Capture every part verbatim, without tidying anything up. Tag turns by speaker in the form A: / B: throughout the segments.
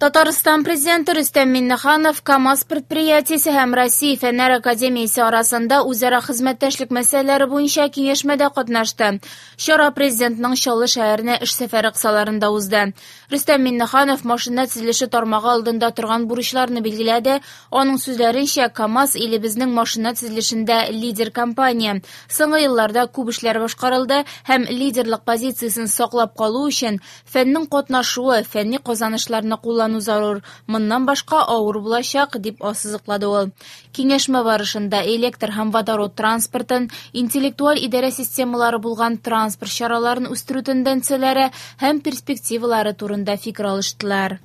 A: Татарстан Президенты Рөстәм Миңнеханов КАМАЗ предприятиесе һәм Россия Фәннәр академиясе арасында үзара хезмәттәшлек мәсьәләләре буенча киңәшмәдә катнашты. Чара Президентның Чаллы шәһәренә эш сәфәре кысаларында узды. Рөстәм Миңнеханов машина төзелеше тармагы алдында торган бурычларны билгеләде. Аның сүзләренчә, КАМАЗ илебезнең машина төзелешендә лидер компания. Соңгы елларда күп эшләр башкарылды һәм лидерлык позициясен саклап калу өчен фәннең катнашуы, фәнни казанышларны куллану зарур. Моннан башка авыр булачак, дип ассызыклады ул. Киңәшмә барышында электр һәм водород транспортын, интеллектуаль идарә системалары булган транспорт чараларын үстерү тенденцияләре һәм перспективалары турында фикер алыштылар.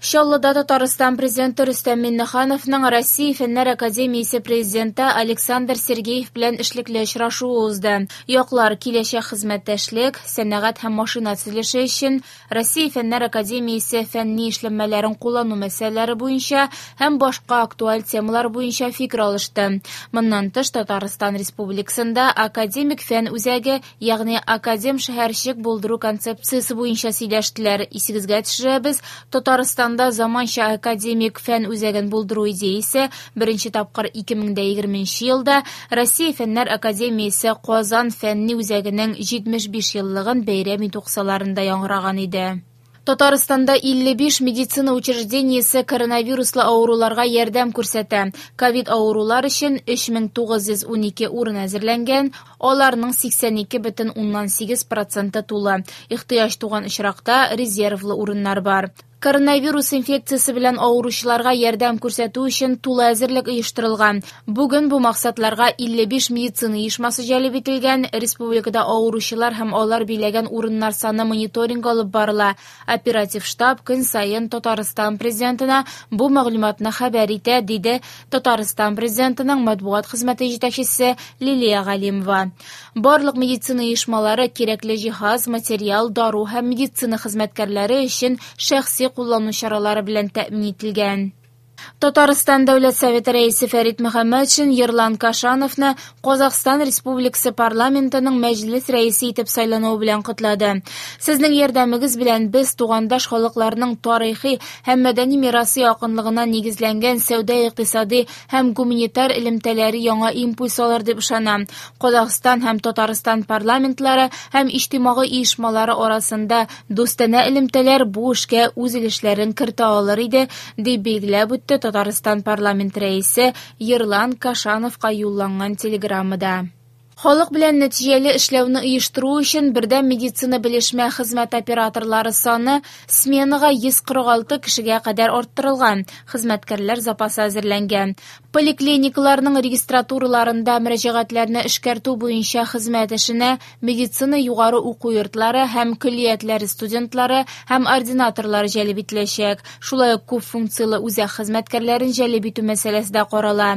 A: Чаллыда Татарстан Президенты Рөстәм Миңнехановның Россия Фәннәр академиясе президенты Александр Сергеев белән эшлекле очрашуы узды. Яклар киләчәк хезмәттәшлек, сәнәгать һәм машина төзелеше өчен Россия Фәннәр академиясе фәнни эшләнмәләрен куллану мәсьәләләре буенча һәм башка актуаль темалар буенча фикер алышты. Моннан тыш, Татарстан Республикасында академик фән үзәге, ягъни академ шәһәрчек булдыру концепциясе буенча сөйләштеләр. Исегезгә төшерәбез, Татарстан заманча академик фән үзәген булдыру идеясе беренче тапкыр ике мең дә егерменче елда Россия Фәннәр академиясе Казан фәнни үзәгенең җитмеш биш еллыгын бәйрәм итү кысаларында яңгыраган иде. Татарстанда илле биш медицина учреждениесе коронавируслы авыруларга ярдәм күрсәтә. Ковид авырулар өчен өч мең тугыз йөз унике урын әзерләнгән, аларның сиксән ике бөтен уннан сигез проценты тулы. Ихтыяҗ туган очракта резервлы урыннар бар. Коронавирус инфекциясе белән авыручыларга ярдәм күрсәтү өчен тулы әзерлек оештырылган. Бүген бу максатларга илле биш медицина оешмасы җәлеп ителгән. Республикада авыручылар һәм алар биләгән урыннар саны мониторинг алып барыла. Оператив штаб көн саен Татарстан Президентына бу мәгълүматны хәбәр итә, диде Татарстан Президентының матбугат хезмәте җитәкчесе Лилия Галимова. Барлык медицина оешмалары кирәкле җиһаз, материал, дару һәм медицина хезмәткәрләре өчен шәхси куллану чаралары белән тәэмин ителгән. Татарстан Дәүләт Советы рәисе Фәрит Мөхәммәтшин Ерлан Кашановны Казахстан Республикасы парламентының мәҗлес рәисе итеп сайлануы белән котлады. Сезнең ярдәмегез белән без тугандаш халыкларның тарихи һәм мәдәни мирасы якынлыгына нигезләнгән сәүдә-икътисади һәм гуманитар элемтәләре яңа импульс алыр дип ышанам. Казахстан һәм Татарстан парламентлары һәм иҗтимагый оешмалары арасында дустанә элемтәләр бу эшкә үз өлешләрен кертә алыр иде, дип билгеләп үтте Татарстан парламент рәисе Ерлан Кашановка юлланган телеграммада. Халык белән нәтиҗәле эшләүне оештыру өчен бердәм медицина белешмә хезмәт операторлары саны сменага йөз кырык алты кешегә кадәр арттырылган, хезмәткәрләр запасы әзерләнгән. Поликлиникаларның регистратураларында мөрәҗәгатьләрне эшкәртү буенча хезмәт эшенә медицина югары уку йортлары һәм көллиятләре студентлары һәм ординаторлары җәлеп ителәчәк. Шулай ук күп функцияле үзәк хезмәткәрләрен җәлеп итү мәсьәләсе дә карала.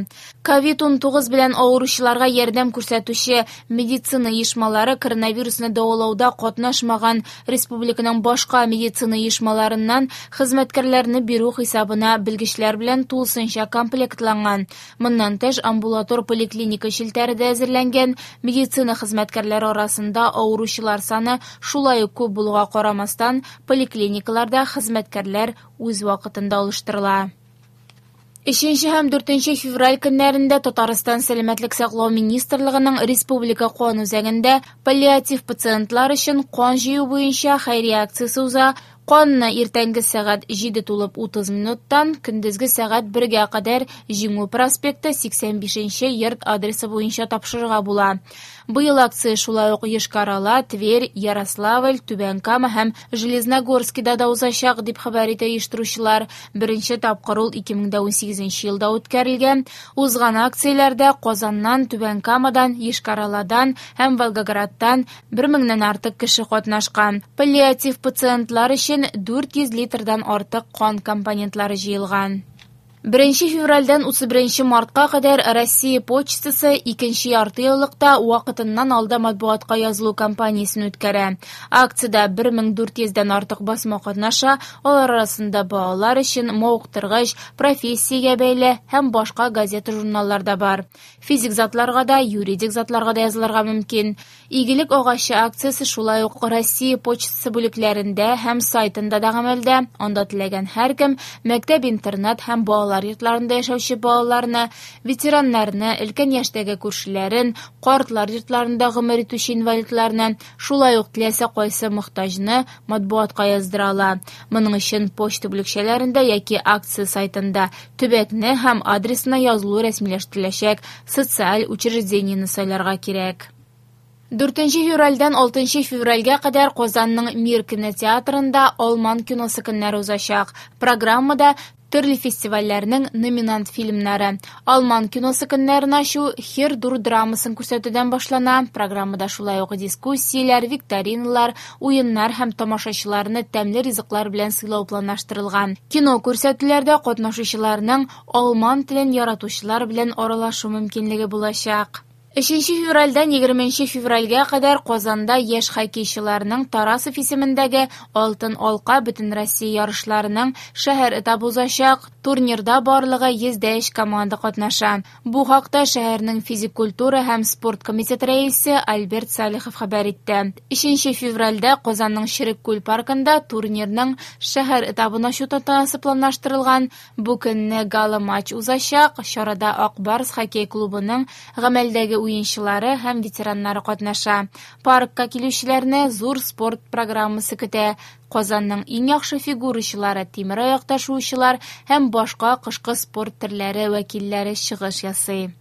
A: Ковид унтугыз белән авыручыларга ярдәм күрсәтүче медицина оешмалары коронавирусны дәвалауда катнашмаган республиканың башка медицина оешмаларыннан хезмәткәрләрне бирү хисабына белгечләр белән тулысынча комплектланган. Моннан тыш, амбулатор поликлиника челтәре дә әзерләнгән. Медицина хезмәткәрләре арасында авыручылар саны шулай ук күп булуга карамастан, поликлиникаларда хезмәткәрләр үз вакытында алыштырыла. Өченче һәм дүртенче февраль көннәрендә Татарстан Сәламәтлек саклау министрлыгының Республика кан үзәгендә паллиатив пациентлар өчен кан җыю буенча хәйрия акциясе уза. Канны иртәнге сәгать җиде тулып утыз минуттан көндезге сәгать бергә кадәр Җиңү проспекты сиксән бишенче йорт адресы буенча тапшырырга була. Быел акция шулай ук Йошкар-Ола, Тверь, Ярославль, Түбән Кама һәм Железногорскида да узачак, дип хәбәр итә оештыручылар. Беренче тапкыр ул ике мең дә унсигезенче елда үткәрелгән. Узган акцияләрдә Казаннан, Түбән Камадан, Йошкар-Оладан һәм Волгоградтан бер меңнән артык кеше катнашкан. Паллиатив пациентлар өчен дүрт йөз литрдан артык кан компонентлары җыелган. Беренче февральдән утыз беренче мартка кадәр Россия почтасы икенче яртыеллыкта вакытыннан алда матбугатка язылу кампаниясен үткәрә. Акциядә бер мең дүрт йөздән артык басма катнаша, алар арасында балалар өчен мавыктыргыч, профессиягә бәйле һәм башка газета-журналлар да бар. Физик затларга да, юридик затларга да язылырга мөмкин. Игелек агачы акциясе шулай ук Россия почтасы бүлекләрендә һәм сайтында да гамәлдә. Анда теләгән һәркем мәктәп-интернат һәм балалар йортларында яшәүче балаларны, ветераннарны, өлкән яшьтәге күршеләрен, картлар йортларында гомер итүче инвалидларны, шулай ук теләсә кайсы мохтаҗны матбугатка яздыра ала. Моның өчен почта бүлекчәләрендә яки акция сайтында төбәкне һәм адресына язылу рәсмиләштереләчәк социаль учреждениене сайларга кирәк. Дүртенче февральдән алтынчы февральгә кадәр Казанның Мир кинотеатрында Алман киносы көннәре узачак. Программада төрле фестивальләрнең номинант фильмнары. Алман киносы көннәрен ачу Хер-Дур драмасын күрсәтүдән башлана. Программада шулай ук дискуссияләр, викториналар, уеннар һәм тамашачыларны тәмле ризыклар белән сыйлау планлаштырылган. Кино күрсәтүләрдә катнашучыларның алман телен яратучылар белән аралашу мөмкинлеге булачак. Өченче февральдән егерменче февральгә кадәр Казанда яшь хоккейчыларның Тарасов исемендәге Алтын алка Бөтенроссия ярышларының шәһәр этабы узачак. Турнирда барлыгы йөз дә өч команда катнаша. Бу хакта шәһәрнең физик культура һәм спорт комитеты рәисе Альберт Салихов хәбәр итте. Өченче февральдә Казанның Череккүл паркында турнирның шәһәр этабын ачу тантанасы планлаштырылган. Бу көнне гала-матч узачак. Чарада Ак Барс хоккей клубының гамәлдәге уенчылары һәм ветераннары катнаша. Паркка килүчеләрне зур спорт программасы көтә. Казанның иң яхшы фигурачылары, тимер аякта шуучылар һәм башка кышкы спорт төрләре вәкилләре чыгыш ясый.